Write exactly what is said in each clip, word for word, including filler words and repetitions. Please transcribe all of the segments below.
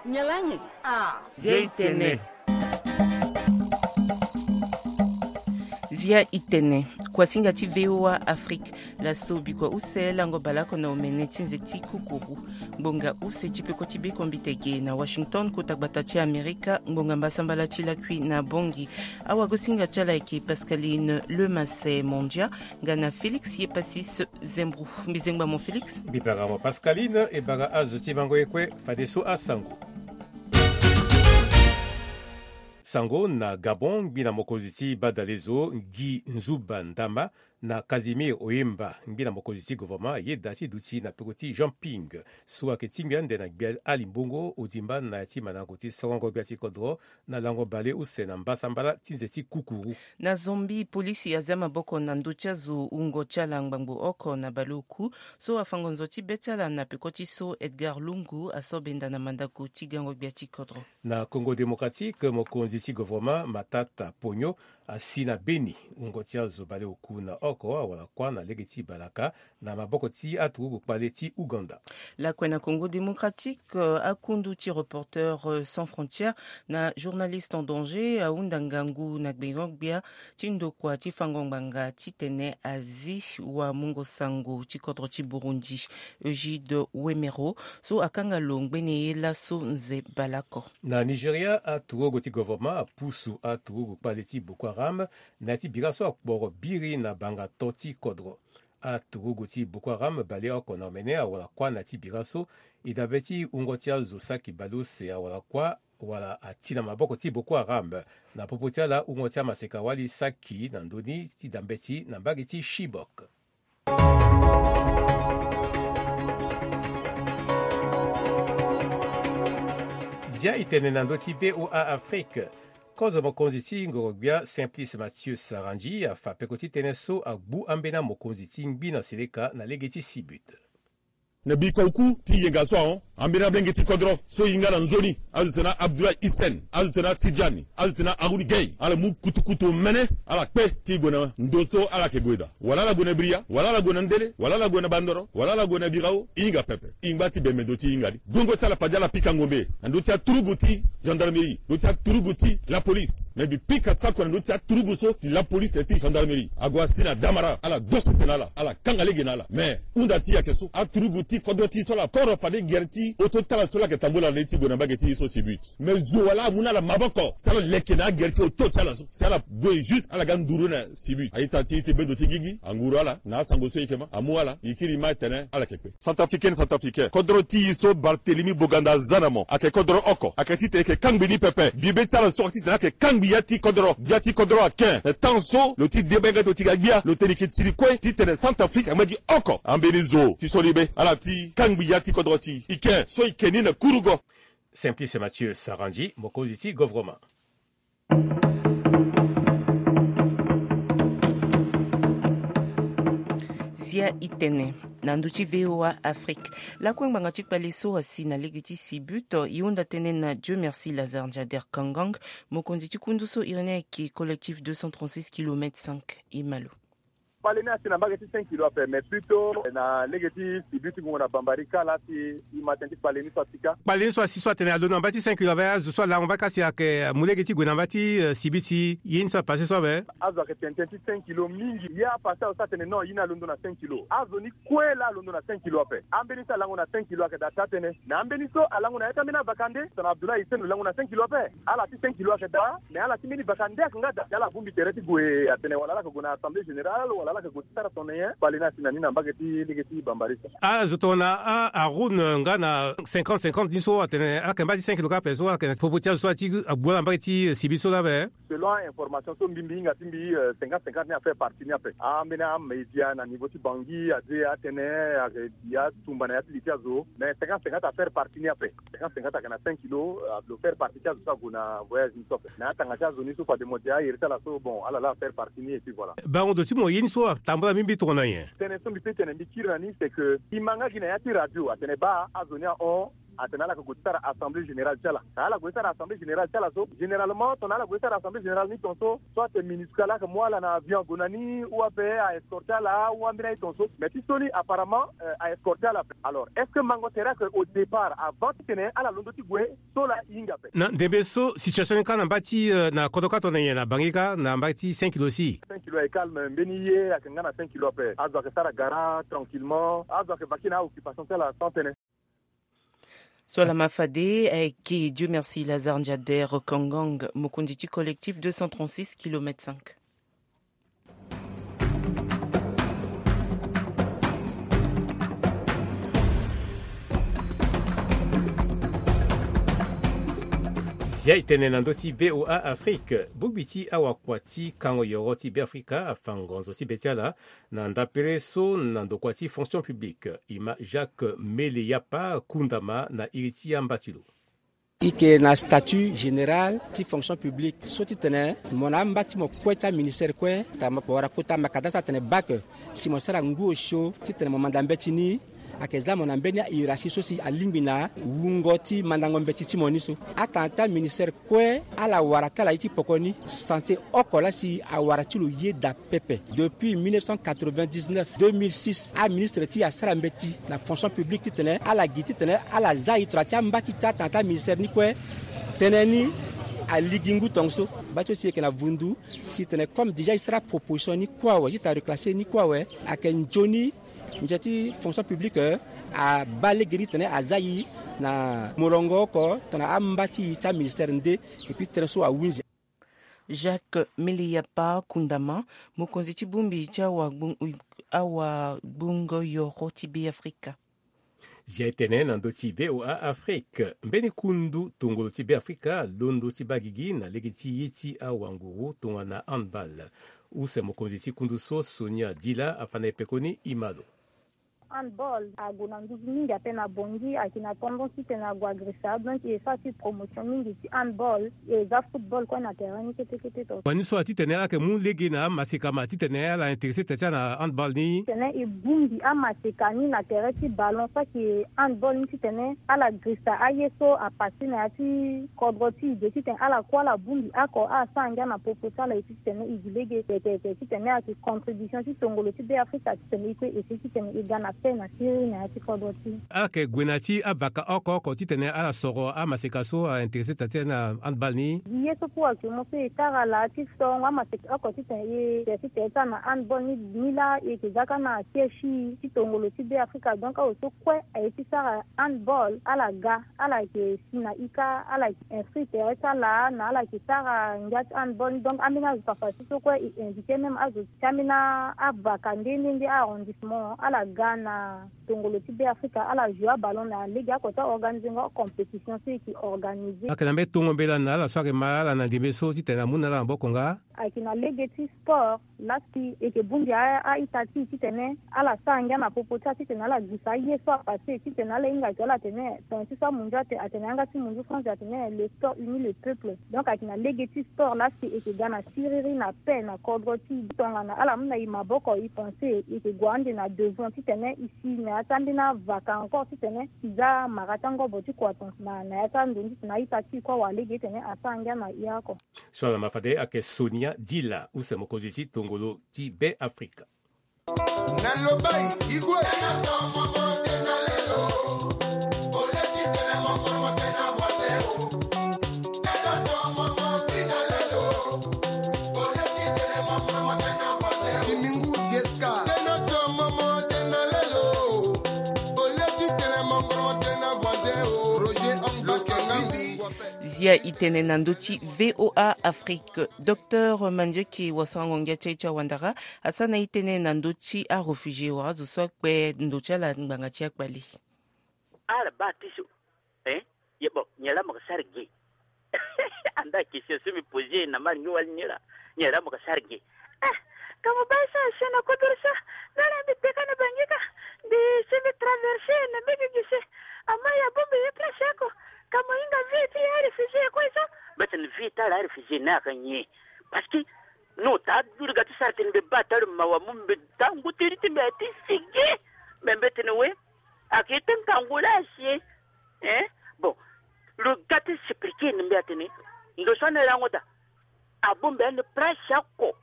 Nyalangi. Ah. Zia itene. Zia itene. Kuasinga ti V O A Afrique. Laso bikua use lango baleoko na omene ti nze ti kukuru. Ngbonga use ti peko ti bekombite ge na Washington, kota gbata ti Amerika, ngbonga mbasambala ti lakui na Bangui. Awagosinga ti ala ayeke Pascaline Lemasse Mondia, nga na Félix Yepasis Zembro. Mbi zengba mo Félix. Mbi bara mo Pascaline, e bara azo ti mango ye kue, fadeso asango. Sango na Gabon, ngbi na mokonzi ti badalezo Guy Nzuba Ndama na Casimir Oyemba, ngbi na mokonzi ti gouvernement, ayeda ti duti na peko ti Jean Ping, so ayeke tingbi ande na gbia Ali Mbongo Odimba na ya ti mandango ti sorongo gbia ti kodro, na lango baleuse na mbasambala ti nze ti kukuru. Na Zambie, polisi azia maboko na ndö ti azo wungo ti ala ngbangbo oko na baleoku, so afango nzo ti be ti ala na peko ti so Edgar Lungu aso benda na mandango ti gango gbia ti kodro. Na Congo Démocratique, mokonzi ti gouvernement Matata Ponyo asi na beni wungo ti azo baleoku na oko awara kuâ na lege ti balaka na maboko ti aturugu kpale ti Ouganda. Lakue na Congo Démocratique, euh, akundu ti Reporters, euh, sans frontières na Journalistes en danger ahunda ngangu na gbengo-gbia ti ndokua ti fango ngbanga titene azi wamungo sango ti kodro ti Burundi, Egide Wemero, so akanga lo ngbene ye laso nze baleoko. Na Nigeria, aturugu ti gouvernement apusu aturugu kpale ti Boko Haram na ya ti bira so akporo biri na banga to ti kodro. Aturugu ti Boko Haram baleoko na omene awara kuâ na ya ti bira so. E dabe ti wungo ti azo saki baleuse awara kuâ wala ati na maboko ti Boko Haram. Na popo ti ala, wungo ti amaseka-wali saki na ndö ni ti da mbeti na mbage ti Chibok. Zia itene na ndö ti V O A Afrique. Kozo mokonzi ti ngoro-gbia Simplice Mathieu Sarandji afa peko ti tënë so agbu ambeni amokonzi ti ngbi na seleka na lege ti Sibut. Na bikua oku ti yenga so ahon, ambeni ablenge ti kodro so e hinga na nzoni, azo tene na Abdoulaye Hissène, azo tene na Tidjani, azo tene na Haroun Gueye, ala mu kutukutu omene, ala kpe ti gue na ndo so ala yeke gue daa. Wala ala gue na Bria, wala ala gue na Ndele, wala ala gue na Bandoro, wala ala gue na Birao, e hinga pepe. E ngba ti bembe ndo ti e hinga ni. Gongo ti ala fade ala pika ngombe na ndö ti aturugu ti gendarmerie, ndö ti aturugu ti la police. Me mbi pika sako na ndö ti aturugu so ti la police tene ti gendarmerie. Ague asi na damara, ala do sese na ala, ala kanga lege na ala. Me hunda ti e ayeke so, aturugu ti kodro ti e so ala koro fade gere ti oto ti ala so ala yeke tambula na ni ti gue na mbage ti e so Sibut. Me zo wala amu na ala maboko si ala leke na agere ti oto ti ala so, si ala gue juste ala ga nduru na Sibut. A-ita ti e ti bendo ti gigi anguru ala na asango so e yeke ma, amu ala, e kiri ma tene ala yeke kpe. Centrafricain, centrafricain, kodro ti e so Barthélemy Boganda aza na mo ayeke kodro oko, ayeke titene e yeke kangbi ni pepe. Bibe ti ala so ayeke titene ayeke kangbi ya ti kodro, gbia ti kodro aken. Na temps so lo ti deba hinga ti lo ti ga gbia, lo tene e yeke tiri kue titene Centrafrique angba gi oko. Ambeni zo ti soli be ala ti kangbi ya ti kodro ti e ken so e yeke ni na kurugo. Simplice Mathieu Sarandji, mokonzi ti gouvernement. Zia itene na ndö ti V O A Afrique. Lakue ngbanga ti kpale so asi na lege ti Sibut, e hunda tënë na Dieu merci Lazare Ndiader Kangang, mokonzi ti kundu so iri ni ayeke Collectif deux cent trente-six kilomètres cinq. E ma lo. Kpale ni asi na mbage ti cinq kilo ape, mais plutôt na lege ti Sibut ti gongo na Bambari kala si e ma tënë ti kpale ni so asi ka. Kpale ni so asi so atene alondo na mbage ti cinq kilo ape, azo so alango mbage kasi ayeke mu lege ti gue na mbage ti, eh, Sibut si ye ni so apase so ape. Azo ayeke tene tënë ti cinq kilo mingi. Ye apase azo so atene non, ye ni alondo na cinq kilo. Azo ni kue laa alondo na cinq kilo ape. Ambeni so alango na cinq kilo ayeke daa taa tënë. Mais ambeni so alango na ya ti ambeni avakande, tongana Abdoulaye Hissène lo lango na cinq kilo ape. Ala ti cinq kilo ayeke daa, mais ala ti mbeni vakande ayeke nga daa. Si ala bongbi tere ti gue atene wala ala yeke gue na assemblée générale, wala ala yeke gue ti sara tongana nyen. Kpale ni asi na ni na mbage ti lege ti Bambari so. Azo tongana a, Haroun, eh, nga na cinquante cinquante ni so atene ala yeke mbage ti cinq kilo kâ ape so ala yeke na popo ti azo so ala ti agbu ala na mbage ti, eh, Sibut so laa ape. Selon a-information so mbi mbi hinga ti mbi, eh, cinquante cinquante ni afaire parti ni ape. Ambeni amédia na niveau ti Bangui aze atene ayeke ya tumba na ya ti li ti azo. Mais cinquante cinquante afaire parti ni ape. Cinquante cinquante ayeke na cinq kilo, eh, lo faire partie ti azo so ague na voyage ni so ape. Mais atanga ti azo ni so fade mo dia ahere ti ala so, bon, ala laa afaire parti ni et puis voilà. Bango ndo ti mo ye ni so atambula mingi tongana nyen? Tënë so mbi peut tene mbi kiri na ni c'est que e ma nga gi na ya ti radio atene baa azo ni ahon. Atene ala yeke gue ti sara assemblée générale ti ala. Ala gue ti sara assemblée générale ti ala so, généralement tongana ala gue ti sara assemblée générale ni tongaso, soit MINUSCA ala yeke mu ala na avion ague na ni, ou ape a escorte ala, ou ambeni aye tongaso. Mais ti so ni apparemment a escorte ala ape. Alors est-ce que mango tere ayeke au départ avant titene ala londo ti gue so laa? Hinga ape. Na ndembe so situation ni kâ na mba ti na kodro kâ tongana nyen na bangi kâ na mba ti cinq kilo si? Cinq kilo ayeke calme, mbeni ye ayeke nga na cinq kilo ape. Azo ayeke sara gara tranquillement, azo ayeke vaquer na aoccupation ti ala sans tënë. So lama fade ayeke Dieu merci Lazare Ndiader Kangang, mokonzi ti collectif deux cent trente-six kilomètre cinq. Zia e tene na ndö ti V O A Afrique. Bongbi ti awakua ti kango yoro ti Beafrika afa ngonzo ti be ti ala na ndapere so na ndokua ti fonction publique, e ma Jacques Meleyapa Kundama na iri ti amba ti lo. E yeke na statut général ti fonction publique so titene mo na amba ti mo kue ti aministère kue, tara mo wara kota makada so atene bac, si mo sara ngu osio titene mo manda mbeti ni, ayeke za mo na mbeni ahiérarchie so si alingbi na wungo ti mandango mbeti ti mo ni so. Atanga ti aministère kue ala wara ti ala ye ti poko ni. Santé oko laa si awara ti lo yeda pepe. Depuis mille neuf cent quatre-vingt-dix-neuf, deux mille six, aministre ti e asara mbeti na fonction publique titene ala gi titene ala za e tongana ti amba ti taa tanga ti aministère ni kue. Tënë ni aligi ngu tongaso. Mba ti so si e yeke na vundu si tene comme déjà e sara proposition ni kue awe ti tara reclasser ni kue awe, ayeke nzoni nze ti fonction publique abaa lege ni tene aza e na molongo oko tongana amba ti e ti aministère nde. Et puis tënë so ahunzi. Jacques Meleyapa Kundama, mokonzi ti bongbi ti awagbongo yoro ti Beafrika. Zia e tene na ndö ti V O A Afrique. Mbeni kundu tongolo ti Beafrika alondo ti baa gigi na lege ti ye ti awanguru tongana handball. Use mokonzi ti kundu so Sonia Dila afa na e pekoni e ma lo. Handball ague na nduzu mingi ape na Bangui, ayeke na tendance titene ague agressa, donc e sara ti promotion mingi ti handball. E za football kue na terrain ni kete kete to. Wani so atitene ala yeke mu lege na amaseka ma titene ala intéressé tere ti ala na handball ni. Titene e bongbi amaseka ni na tere ti ballon so ayeke handball ni titene ala grissa aye so apassé na ya ti kodro ti e ge titene ala kue ala bongbi oko ala sara ngia na popo ti ala. E titene e gi lege tete titene ayeke contribution ti tongolo ti Beafrika titene e kue e si titene e ga na paix na siriri na ya ti kodro ti e. Ala yeke gue na ya ti avaka oko oko titene ala soro amaseka so a intéressé tere ti ala na handball ni. Gi ye so kue ayeke mo so e tara laa ti sorongo amaseka oko titene e tene ti tere ti ala na handball ni. Ni laa e yeke za kâ na siège ti tongolo ti Beafrika. Donc awe so kue aye ti sara handball ala ga, ala yeke si na ika, ala yeke inscrit tere ti ala na ala yeke sara ngia ti handball ni. Donc ambeni azo fafaso so kue e invité même azo ti ambeni avaka nde nde nde arrondissement ala ga na tongolo ti Beafrika ala joue aballon na lege oko ti aorganiser ngo compétition so e yeke organiser. Ayeke na mbeni tongo mbela na ala so ayeke ma ala na ndembe so titene amu na ala maboko nga. Ayeke na lege ti sport laa si e yeke bongbi a-ita ti e titene ala sara ngia na popo ti ala titene ala gisa aye so apassé titene ala hinga ayeke ala tene tongana ti so amunzu ate atene yanga ti munzu France atene le sport unit le peuple. Donc ayeke na lege ti sport laa si e yeke ga na siriri na paix na kodro ti e. Tongana ala mu na e maboko e pensé e yeke gue ande na devant titene e si na ya ti ambeni avaka encore titene e za mara ti angobo ti kua tongaso na na ya ti ando ni titene a-ita ti e kue awara lege titene asara ngia na e oko. So ala ma fade ayeke Sonia Dila use mokonzi ti tongolo ti Beafrika. Na lobai igwe. Zia e tene na ndö ti V O A Afrique. Docteur Mandieke wasarango ngia ti aye ti awandara asara na e tënë na ndö ti aréfugié wala azo so akpe ndo ti ala ngbanga ti akpale. Ala baa ti so. Eh? Ye bon, nyen laa mo yeke sara ge? Anda question so mbi posé na mari ngi wali nyen laa, nyen laa mo yeke sara ge? Eh, ka mo baa e sara chien na kodoro so. Nda ala mbi peka na bangi ka. Mbi si mbi traversé na mbege gise. Ama ya bongbi ye place oko. Ka mo hinga vie ti aréfugié kue so. Mbeti na vie ti ala aréfugié ni ayeke nyen? Parce que no taa duru ga ti sara tene mbi baa taa lo mawa mu mbi taa ngu ti iri ti mbi aye ti sigi. Me mbeti na we. Ayeke ye ti ngangu laa asi. Hein? Bon, lo ga ti expliquer ni mbi atene ndo so ane lango daa. Abongbi ande place oko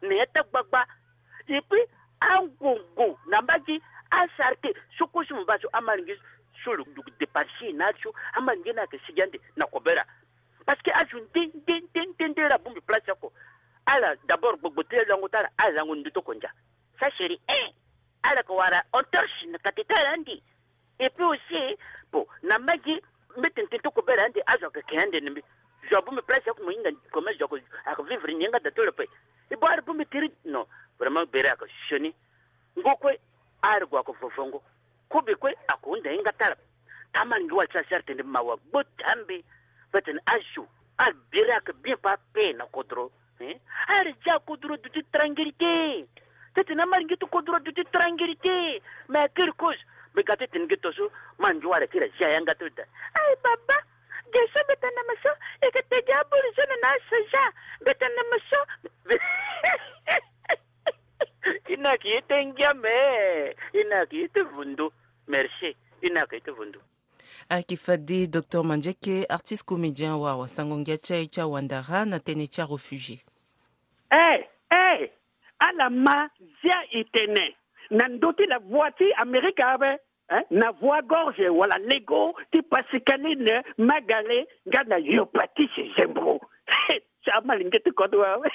na ya ti agbagba. Et puis angongo na mbage, asarté so kue so mo baa so, amalingi so lo dugu départir na azo, amalingi ni ayeke sigi ande na kobela. Parce que azo nde nde nde nde nde ala bongbi place oko. Ala d'abord gbogbo ti lango ti ala, ala lango ndutu oko ndia. Ça chéri, eh, ala yeke wara entorse na kati ti ala ande. Et puis aussi, bon, na mbage, mbi tene tene ti kobela ande, azo ayeke ke ande na mbi. Zo abongbi place oko, mo hinga comme zo ayeke, ayeke vivre ni yanga daa ti lo ape. E bon, ala bongbi tiri, non, vraiment bere ayeke sioni. Ngo kue, ala gue ayeke vovongo. Kobe kue ayeke hunda hinga ti ala. Tamalingi wala ti asara tene mawa gbo ti ambe. Mbi tene azo, ala bere ayeke bien pa ape na kodro. Hein? Ala zia kodro duti tranquillité. Titene amalingi ti kodro duti tranquillité. Mais à quelle cause? Mbi ga titene nge to so, ma nzo wala ti la zia yanga ti lo daa. Ayi baba, ge so mbi tene na mo so, e ke tegi aburu so na na asoja. Mbi tene na mo so. I na ki ye te ngia me. I na ki ye te vundo. Merci. I na ki ye te vundo. Ayeke fade docteur Mandieke, artiste comédien, wara wasango ngia ti aye ti awandara na tënë ti aréfugié. Eh, eh, ala ma zia e tene na ndö ti la voix ti Amerika ape, eh, na voix gorge wala lego ti Pascaline Magale nga na Yopatise Zembro. Ti amalingi ti kodro awe.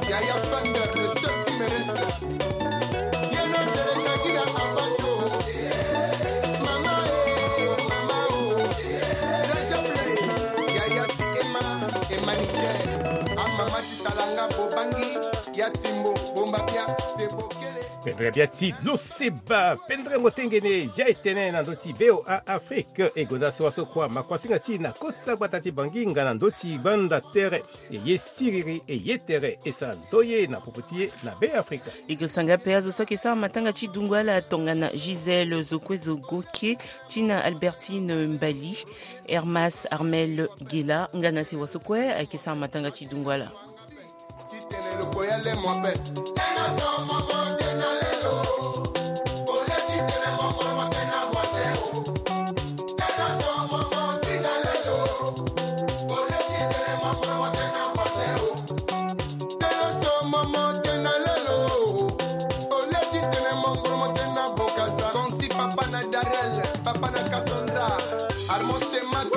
Yaya Thunder, le seul qui me reste. Yeno Zereka Gina Apacho. Mama, eh, mama, oh. Raja Play. Yaya ti Emma, Emma Nickel. A mama ti Talanga Bobangi. Ya Timbo, Bomba Bia, Sebo Kele. Pendere bia ti lo seba, pendere ngo tengene, zia e tene na ndö ti V O A Afrique, e gonda sewa so kua, makuasinga ti na kota gbata ti Bangui nga na ndö ti gbanda tere. E ye siriri, e ye tere, e sara ndoye na popo ti e na Be Afrika. E ke sanga pe azo so ayeke sara matanga ti dungo ala tongana Gisèle Zokwe Zogoke, Tina Albertine Mbali, Hermas Armel Gela, nga na sewa so kue ayeke sara matanga ti dungo ala. Papa na Darel, papa na Cassandra, Armand Semak,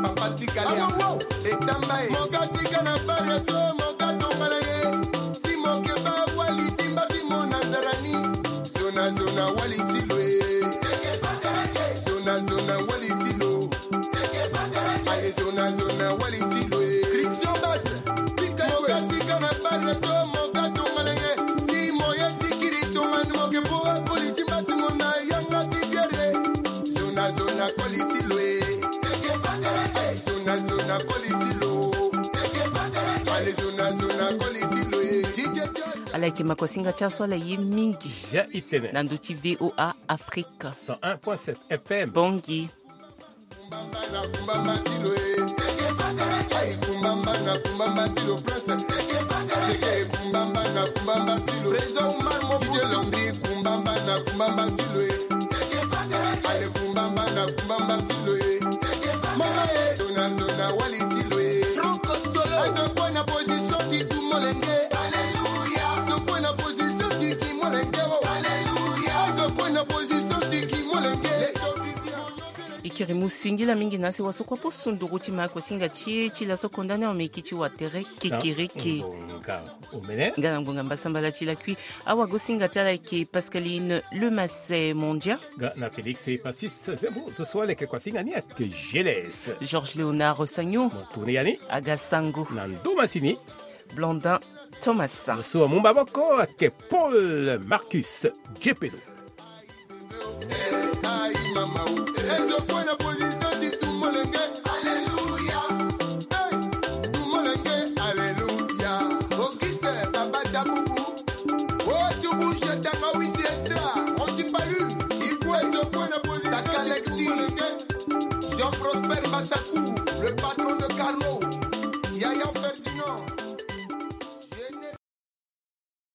papa ti Galia, Etamba e. Moka tika na Paris, moka tongana ye. Si moke ba wali timba ti mo na Zarani. Zona, zona, wali ti lo e. Zona, zona, wali ti lo. Allez, zona, zona, wali ti lo e. Christian Bass, tika, moka tika na Paris, moka tongana ye. Si mo ye tikiri tongana moke po akoli timba ti mo na yanga ti biere. Zona, zona, koli ti lo e. Zona, zona, koli ti lo. Allez, zona, zona, koli ti lo e. D J Jazz. Ala yeke makuasinga ti aso ala ye mingi. Zia e tene. Na ndö ti V O A Afrique. Cent un point sept F M. Bangui. Kumbamba na kumbamba ti lo e. Ayi kumbamba na kumbamba ti lo prince. Teke kumbamba na kumbamba ti lo. Président Omar Mofuta. D J Londri kumbamba na kumbamba ti lo e. Ale kumbamba na kumbamba ti lo e. Mama e. Zona zona wali ti lo e. Franco Solo. Azo kue na position ti tu molenge. Alléluia. Azo kue na position ti ki molenge o. Alléluia. Azo kue na position ti ki molenge. E kiri mu singila mingi na sewa so kue apo sunduru ti makuasinga ti e ti laso konda ni ameki ti watere kekereke. Nga na ngbonga mbasambala ti lakui. Awagosinga ti ala ayeke Pascaline Lemas Mondia. Nga na Félix Passis Zembo, zo so ala yeke kuasinga ni ayeke Geles. Georges Léonard Sagnon. Mo tourné yani. Aga Sango. Na ndo masini. Blandin Thomas. Zo so amu maboko ayeke Paul Marcus Diepedo. Ayi mama o. Ezo kue na position ti tu molenge. Alléluia. Hey, tu molenge. Alléluia. Oh, Sakou, le patron de Calmo.